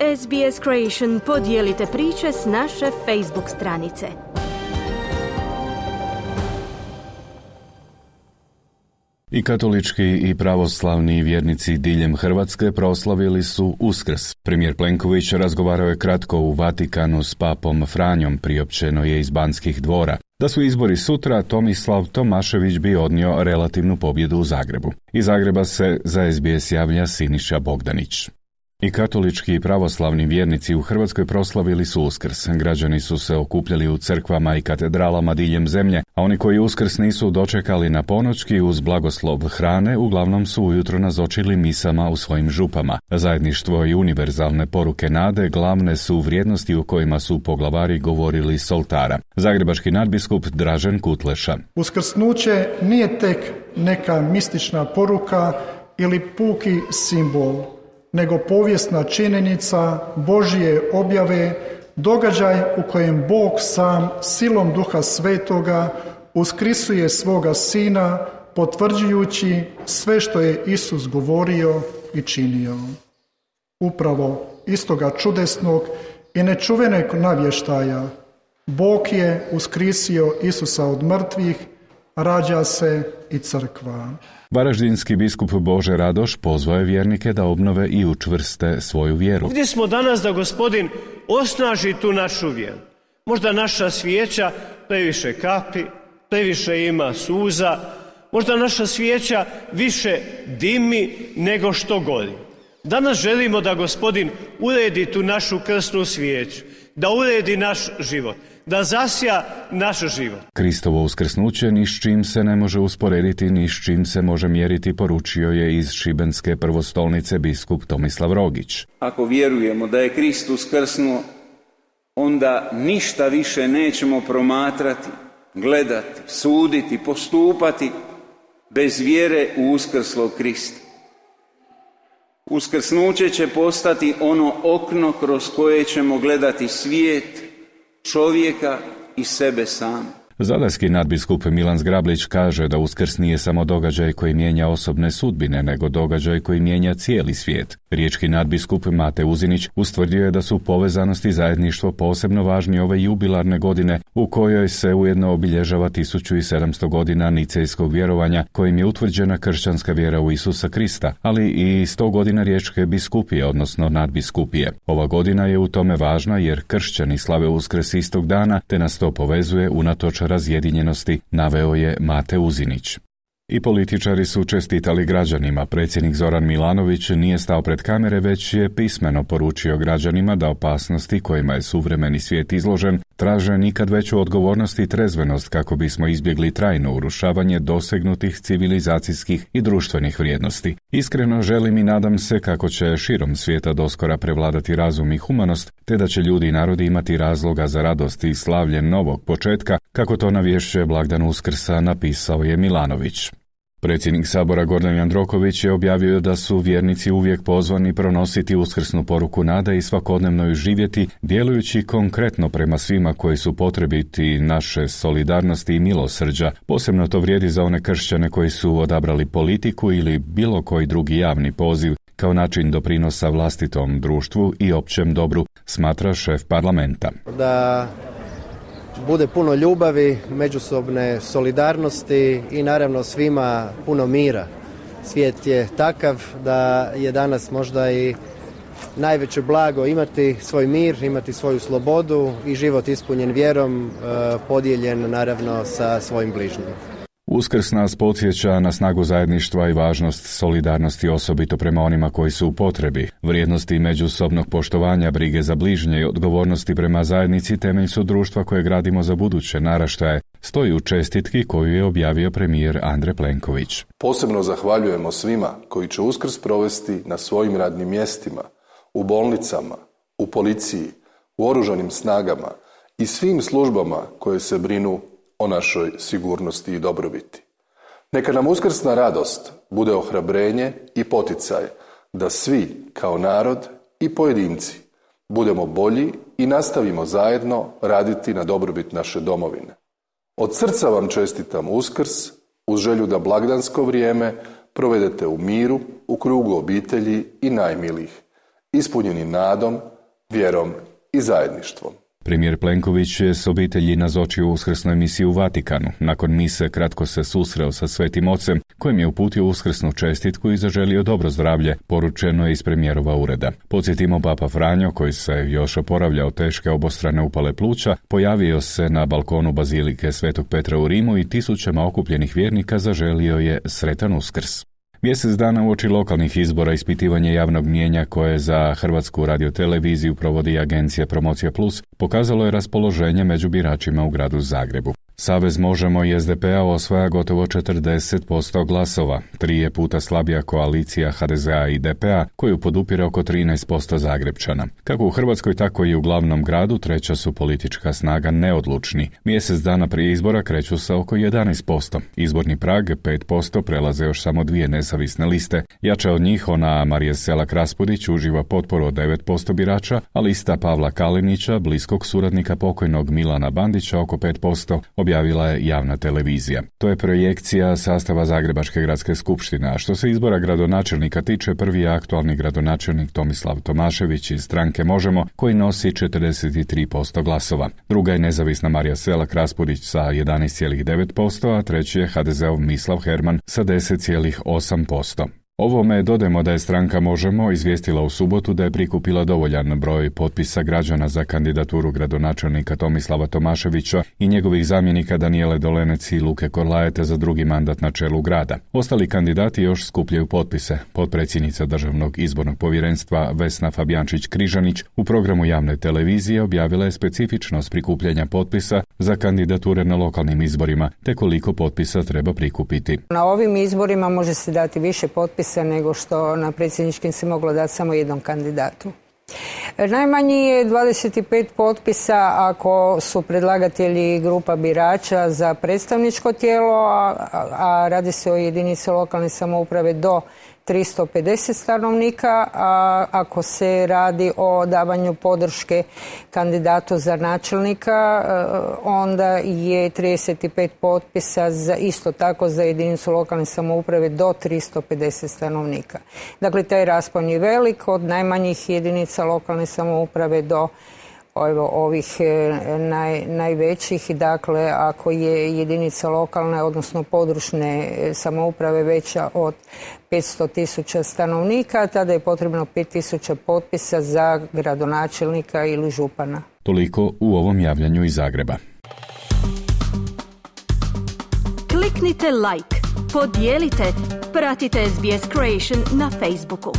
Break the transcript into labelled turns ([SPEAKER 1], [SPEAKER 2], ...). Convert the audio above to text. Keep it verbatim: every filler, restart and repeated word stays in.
[SPEAKER 1] S B S Creation podijelite priče s naše Facebook stranice.
[SPEAKER 2] I katolički i pravoslavni vjernici diljem Hrvatske proslavili su Uskrs. Premijer Plenković razgovarao je kratko u Vatikanu s papom Franjom, priopćeno je iz Banskih dvora. Da su izbori sutra, Tomislav Tomašević bi odnio relativnu pobjedu u Zagrebu. Iz Zagreba se za S B S javlja Siniša Bogdanić. I katolički i pravoslavni vjernici u Hrvatskoj proslavili su Uskrs. Građani su se okupljali u crkvama i katedralama diljem zemlje, a oni koji Uskrs nisu dočekali na ponoćki uz blagoslov hrane, uglavnom su ujutro nazočili misama u svojim župama. Zajedništvo i univerzalne poruke nade glavne su vrijednosti u kojima su poglavari govorili s oltara. Zagrebački nadbiskup Dražen Kutleša.
[SPEAKER 3] Uskrsnuće nije tek neka mistična poruka ili puki simbol, nego povijesna činjenica Božje objave, događaj u kojem Bog sam silom Duha Svetoga uskrisuje svoga Sina, potvrđujući sve što je Isus govorio i činio. Upravo iz toga čudesnog i nečuvenog navještaja Bog je uskrisio Isusa od mrtvih, rađa se i crkva.
[SPEAKER 2] Varaždinski biskup Bože Radoš pozvao je vjernike da obnove i učvrste svoju vjeru.
[SPEAKER 4] Ovdje smo danas da Gospodin osnaži tu našu vjeru. Možda naša svijeća previše kapi, previše ima suza, možda naša svijeća više dimi nego što gori. Danas želimo da Gospodin uredi tu našu krsnu svijeću, da uredi naš život, da zasja naš život.
[SPEAKER 2] Kristovo uskrsnuće ni s čim se ne može usporediti, ni s čim se može mjeriti, poručio je iz šibenske prvostolnice biskup Tomislav Rogić.
[SPEAKER 5] Ako vjerujemo da je Krist uskrsnuo, onda ništa više nećemo promatrati, gledati, suditi, postupati bez vjere u uskrslog Krista. Uskrsnuće će postati ono okno kroz koje ćemo gledati svijet, čovjeka i sebe sam.
[SPEAKER 2] Zadarski nadbiskup Milan Zgrablić kaže da Uskrs nije samo događaj koji mijenja osobne sudbine, nego događaj koji mijenja cijeli svijet. Riječki nadbiskup Mate Uzinić ustvrdio je da su povezanost i zajedništvo posebno važni ove jubilarne godine u kojoj se ujedno obilježava tisuću sedamsto godina nicejskog vjerovanja kojim je utvrđena kršćanska vjera u Isusa Krista, ali i sto godina riječke biskupije, odnosno nadbiskupije. Ova godina je u tome važna jer kršćani slave Uskrs istog dana, te nas to povezuje unatoč razjedinjenosti, naveo je Mate Uzinić. I političari su čestitali građanima. Predsjednik Zoran Milanović nije stao pred kamere, već je pismeno poručio građanima da opasnosti kojima je suvremeni svijet izložen traže nikad veću odgovornost i trezvenost kako bismo izbjegli trajno urušavanje dosegnutih civilizacijskih i društvenih vrijednosti. Iskreno želim i nadam se kako će širom svijeta doskora prevladati razum i humanost, te da će ljudi i narodi imati razloga za radost i slavlje novog početka, kako to navješćuje blagdan Uskrsa, napisao je Milanović. Predsjednik Sabora Gordan Jandroković je objavio da su vjernici uvijek pozvani pronositi uskrsnu poruku nade i svakodnevno ju živjeti, djelujući konkretno prema svima koji su potrebiti naše solidarnosti i milosrđa. Posebno to vrijedi za one kršćane koji su odabrali politiku ili bilo koji drugi javni poziv kao način doprinosa vlastitom društvu i općem dobru, smatra šef parlamenta.
[SPEAKER 6] Da bude puno ljubavi, međusobne solidarnosti i naravno svima puno mira. Svijet je takav da je danas možda i najveće blago imati svoj mir, imati svoju slobodu i život ispunjen vjerom, podijeljen naravno sa svojim bližnjim.
[SPEAKER 2] Uskrs nas podsjeća na snagu zajedništva i važnost solidarnosti, osobito prema onima koji su u potrebi. Vrijednosti međusobnog poštovanja, brige za bližnje i odgovornosti prema zajednici temelj su društva koje gradimo za buduće naraštaje, stoji u čestitki koju je objavio premijer Andrej Plenković.
[SPEAKER 7] Posebno zahvaljujemo svima koji će Uskrs provesti na svojim radnim mjestima, u bolnicama, u policiji, u oružanim snagama i svim službama koje se brinu o našoj sigurnosti i dobrobiti. Neka nam uskrsna radost bude ohrabrenje i poticaj da svi kao narod i pojedinci budemo bolji i nastavimo zajedno raditi na dobrobit naše domovine. Od srca vam čestitam Uskrs uz želju da blagdansko vrijeme provedete u miru, u krugu obitelji i najmilijih ispunjeni nadom, vjerom i zajedništvom.
[SPEAKER 2] Premijer Plenković je s obitelji nazočio uskrsnoj misiji u Vatikanu. Nakon mise kratko se susreo sa Svetim Ocem, kojem je uputio uskrsnu čestitku i zaželio dobro zdravlje, poručeno je iz premijerova ureda. Podsjetimo, Papa Franjo, koji se još oporavlja od teške obostrane upale pluća, pojavio se na balkonu Bazilike Svetog Petra u Rimu i tisućama okupljenih vjernika zaželio je sretan Uskrs. Mjesec dana uoči lokalnih izbora ispitivanje javnog mnijenja koje za Hrvatsku radioteleviziju provodi agencija Promocija Plus pokazalo je raspoloženje među biračima u gradu Zagrebu. Savez Možemo i es de pe a osvaja gotovo četrdeset posto glasova, tri je puta slabija koalicija ha de ze a i de pe a koju podupire oko trinaest posto Zagrebčana. Kako u Hrvatskoj, tako i u glavnom gradu treća su politička snaga Neodlučni. Mjesec dana prije izbora kreću sa oko jedanaest posto. Izborni prag pet posto prelaze još samo dvije nezavisne liste. Jača od njih ona Marije Selak Raspudić uživa potporu od devet posto birača, a lista Pavla Kalinića, bliskog suradnika pokojnog Milana Bandića, oko pet posto, objavila je javna televizija. To je projekcija sastava Zagrebačke gradske skupštine, a što se izbora gradonačelnika tiče, prvi je aktualni gradonačelnik Tomislav Tomašević iz stranke Možemo, koji nosi četrdeset tri posto glasova. Druga je nezavisna Marija Selak Raspudić sa jedanaest zarez devet posto, a treći je ha de ze ov Mislav Herman sa deset zarez osam posto. Ovome dodajemo da je stranka Možemo izvijestila u subotu da je prikupila dovoljan broj potpisa građana za kandidaturu gradonačelnika Tomislava Tomaševića i njegovih zamjenika Danijele Dolenec i Luke Korlajete za drugi mandat na čelu grada. Ostali kandidati još skupljaju potpise. Potpredsjednica Državnog izbornog povjerenstva Vesna Fabijančić-Križanić u programu javne televizije objavila je specifičnost prikupljanja potpisa za kandidature na lokalnim izborima, te koliko potpisa treba prikupiti.
[SPEAKER 8] Na ovim izborima može se dati više potpisa nego što na predsjedničkim se moglo dati samo jednom kandidatu. Najmanji je dvadeset pet potpisa ako su predlagatelji grupa birača za predstavničko tijelo, a, a radi se o jedinici lokalne samouprave do tristo pedeset stanovnika, a ako se radi o davanju podrške kandidatu za načelnika, onda je trideset pet potpisa za, isto tako za jedinicu lokalne samouprave do tristo pedeset stanovnika. Dakle, taj raspon je velik, od najmanjih jedinica lokalne samouprave do Evo, ovih naj, najvećih. Dakle, ako je jedinica lokalne, odnosno područne samouprave veća od petsto tisuća stanovnika, tada je potrebno pet tisuća potpisa za gradonačelnika ili župana.
[SPEAKER 2] Toliko u ovom javljanju iz Zagreba.
[SPEAKER 1] Kliknite like, podijelite, pratite es be es Creation na Facebooku.